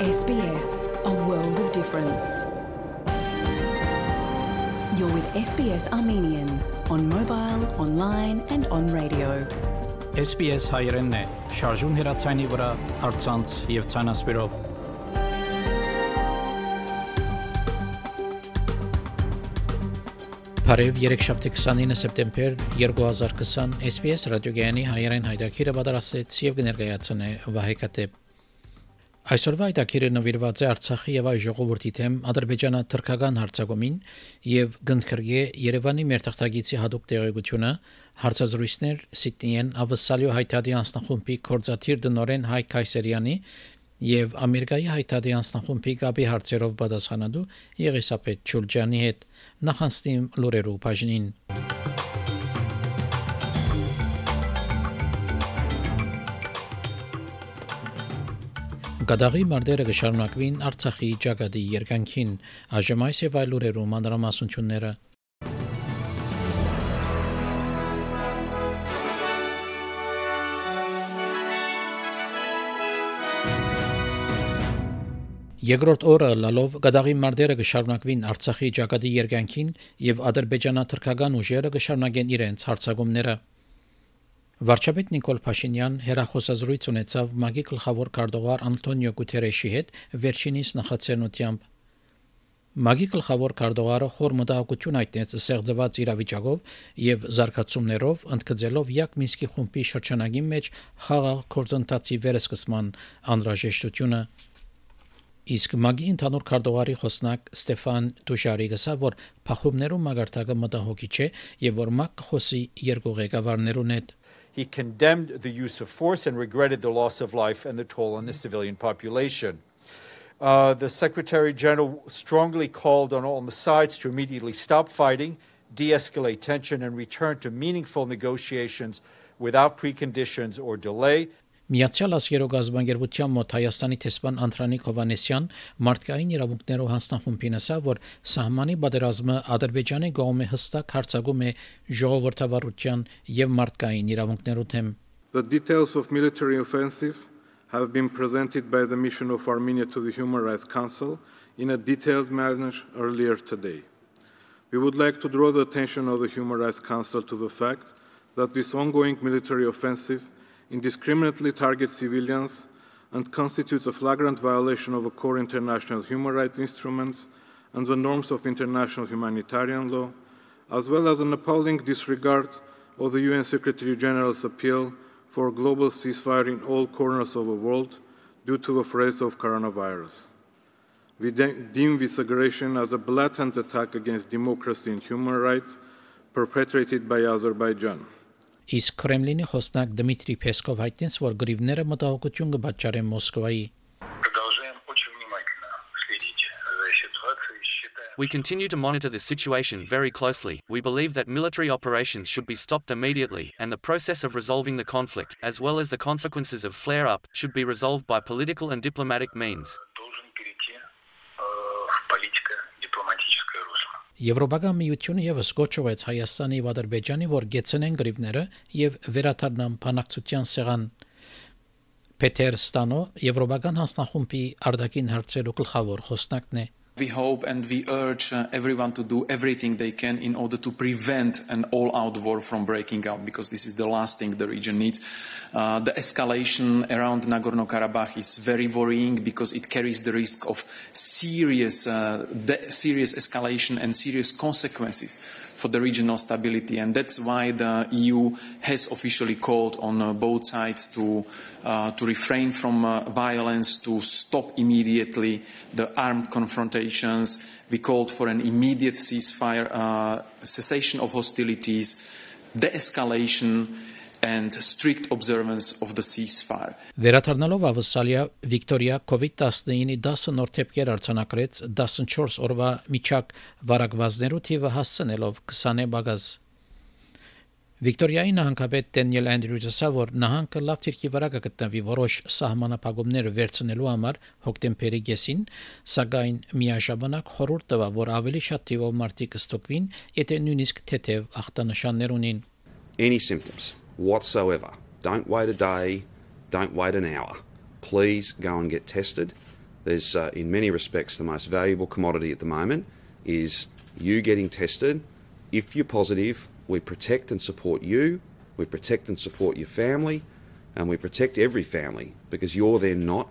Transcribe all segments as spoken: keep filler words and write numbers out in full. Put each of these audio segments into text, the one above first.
S B S, a world of difference. You're with S B S Armenian on mobile, online and on radio. S B S հայերենն է, շարժուն հեռացանի վրա, առցանց եւ ցանասպիրով։ Բարև երեքշաբթի քսանինը սեպտեմբեր երկու հազար քսան S B S ռադիոգայանի հայերեն հայտակիրը պատրաստեց եւ կներկայացնե Վահե Կատեփ։ Այսօրվա հայտակիրը նվիրված է Արցախի եւ այ ժողովրդի թեմ ադրբեջանա-թուրքական հարձակումին եւ գնդքրգե Երևանի մերթախտագիցի հadoop տեղեկությունը հարցազրույցներ Սիդնիեն Ավսալյո հայտարարի անձնախումբի կորզաթիր դնորեն Հայկ Քայսերյանի եւ Ամերիկայի հայտարարի անձնախումբի գաբի հարցերով պատասխանատու Եղիսաբեթ Չուլջանի հետ նախանցնիմ լուրերու բաժնին։ Գադաղի մարտերը կշարունակվին Արցախի ճակատի երկայնքին, այժմ այս եւ այլ լուրերու մանրամասնությունները։ Երկրորդ օրը լալով Գադաղի մարտերը կշարունակվին Արցախի ճակատի երկայնքին եւ ադրբեջանա-թուրքական ուժերը կշարունակեն իրենց հարձակումները։ Վարչապետ Նիկոլ Փաշինյան հերախոսազրույց ունեցավ ՄԱԳ-ի գլխավոր քարտուղար Անտոնիո Գուտերեշի հետ վերջինիս նախաձեռնությամբ։ ՄԱԳ-ի գլխավոր քարտուղարը խոր մտահոգություն հայտնեց ստեղծված իրավիճակով եւ զարգացումներով, ընդգծելով Յակ Մինսկի խումբի շրջանագի մեջ խաղաղ գործընթացի վերսկսման անհրաժեշտությունը։ Իսկ ՄԱԳ-ի ընդհանուր քարտուղարի խոսնակ Ստեֆան Դուժարի գսավ, որ փախումներու մագարտակը մտահոգիչ է եւ որ ՄԱԳ խոսի երկու ղեկավարներուն հետ։ He condemned the use of force and regretted the loss of life and the toll on the civilian population. Uh, the Secretary General strongly called on all the sides to immediately stop fighting, de-escalate tension, and return to meaningful negotiations without preconditions or delay. Միացյալ Աշխարհի գազբանգերության մոտ Հայաստանի տեսփան Անտրանիկ Հովանեսյան մարդկային իրավունքներով հանձնախումբին ասավ, որ սահմանի պատերազմը Ադրբեջանի կողմը հստակ հարձակում է ժողովրդավարության եւ մարդկային իրավունքներու թեմ։ The details of military offensive have been presented by the mission of Armenia to the Human Rights Council in a detailed manner earlier today. We would like to draw the attention of the Human Rights Council to the fact that this ongoing military offensive indiscriminately targets civilians and constitutes a flagrant violation of a core international human rights instruments and the norms of international humanitarian law, as well as an appalling disregard of the U N Secretary General's appeal for a global ceasefire in all corners of the world due to the threat of coronavirus. We de- deem this aggression as a blatant attack against democracy and human rights perpetrated by Azerbaijan. Իսկ Կրեմլինի խոսնակ Դմիտրի Պեսկով հայտնեց, որ գրիվները մտահոգություն կպատճառեն Մոսկվայի։ We continue to monitor the situation very closely. We believe that military operations should be stopped immediately, and the process of resolving the conflict, as well as the consequences of flare-up, should be resolved by political and diplomatic means. Եվրոպական միությունը եւս կոչվեց Հայաստանի եւ Ադրբեջանի, որ գեցնեն գրիվները եւ վերաթարնան բանակցության սեղան։ Պետեր Ստանո Եվրոպական հանձնախումբի արտաքին հարցերու գլխավոր խոսնակն է։ We hope and we urge uh, everyone to do everything they can in order to prevent an all-out war from breaking out, because this is the last thing the region needs. Uh, the escalation around Nagorno-Karabakh is very worrying because it carries the risk of serious, uh, de- serious escalation and serious consequences for the regional stability, and that's why the E U has officially called on uh, both sides to uh, to refrain from uh, violence, to stop immediately the armed confrontations. We called for an immediate ceasefire, uh, cessation of hostilities, de-escalation, and strict observance of the ceasefire. Վերաթարնալով ավսալիա Վիկտորիա կովիդ տասնինի դասը նոր թեփքեր արձանագրեց տասնչորս օրվա միջակ վարակվածներու թիվը հասցնելով քսան բագազ։ Վիկտորիայի նահանգապետ Դենիել Անդրյուզը ասավ, որ նահանգը լավ թիրքի վրա կգտնվի որոշ սահմանափակումներ վերցնելու համար հոկտեմբերի կեսին, սակայն միաժամանակ խորհուրդ տվավ, որ ավելի շատ թիվով մարդիկ կստոկվին, եթե նույնիսկ թեթև ախտանշաններ ունին։ Any symptoms whatsoever, don't wait a day, don't wait an hour. Please go and get tested. There's, uh, in many respects, the most valuable commodity at the moment is you getting tested. If you're positive, we protect and support you, we protect and support your family, and we protect every family because you're then not,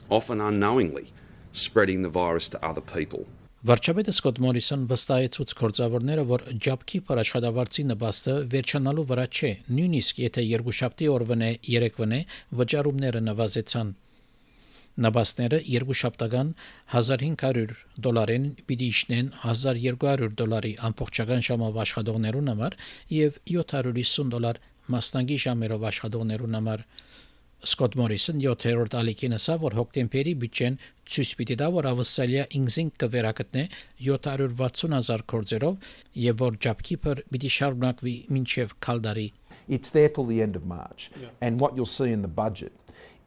often unknowingly, spreading the virus to other people. Վարչապետը Սկոտ Մորիսոն վստահեցուց գործավորները, որ ջաբքի փարաշատավարձի նպաստը վերջանալու վրա չէ, նույնիսկ եթե երկուշաբթի օրվանե երեկվանե վճարումները նվազեցան։ Նպաստները երկուշաբթական հազար հինգ հարյուր դոլարին պիտի իջնեն հազար երկու հարյուր դոլարի ամբողջական ժամով աշխատողներուն համար եւ յոթ հարյուր հիսուն դոլար մասնագի ժամերով աշխատողներուն համար։ Սկոտ Մորիսոն յոթերորդ ալիքին ասավ, որ հոկտեմբերի բյուջեն ցույց պիտի տա, որ ավստրալիա ինքնին կվերակտնե յոթ հարյուր վաթսուն հազար գործերով եւ որ ջաբքի փր պիտի շարունակվի մինչեւ քալդարի։ It's there till the end of March. Yeah. And what you'll see in the budget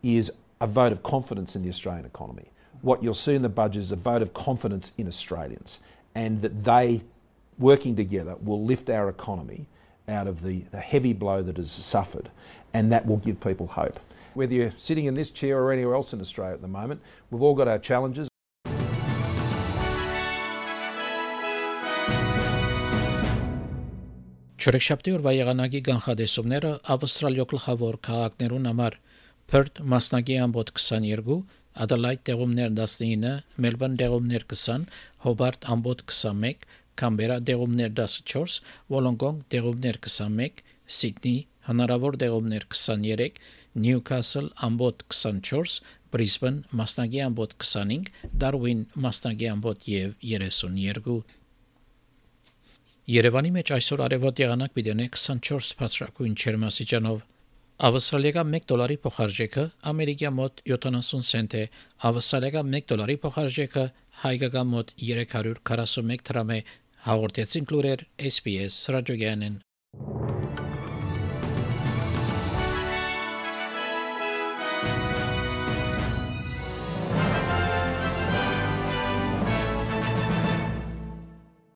is a vote of confidence in the Australian economy. What you'll see in the budget is a vote of confidence in Australians and that they, working together, will lift our economy out of the, the heavy blow that has suffered, and that will give people hope. Whether you're sitting in this chair or anywhere else in Australia at the moment, we've all got our challenges. Չորեքշաբթի օրվա եղանակի կանխատեսումները ավստրալիա գլխավոր քաղաքներուն համար Perth մասնագի ամբոտ քսաներկու, Adelaide դեղումներ տասնինը, Melbourne դեղումներ քսան, Hobart ամբոտ քսանմեկ, Canberra դեղումներ տասնչորս, Wollongong դեղումներ քսանմեկ, Sydney հնարավոր դեղումներ քսաներեք, Newcastle ամբոտ քսանչորս, Brisbane մասնագի ամբոտ քսանհինգ, Darwin մասնագի ամբոտ եւ երեսունյոթ։ Երևանի մեջ այսօր արևոտ եղանակ պիտի ունենա քսանչորս բարձրակույն ջերմաստիճանով։ Ավստրալիական մեկ դոլարի փոխարժեքը ամերիկյա մոտ յոթանասուն سنت է, ավստրալիական մեկ դոլարի փոխարժեքը հայկական մոտ երեք հարյուր քառասունմեկ դրամ է։ Հաղորդեցին լուրեր S B S ռադիոգյանեն։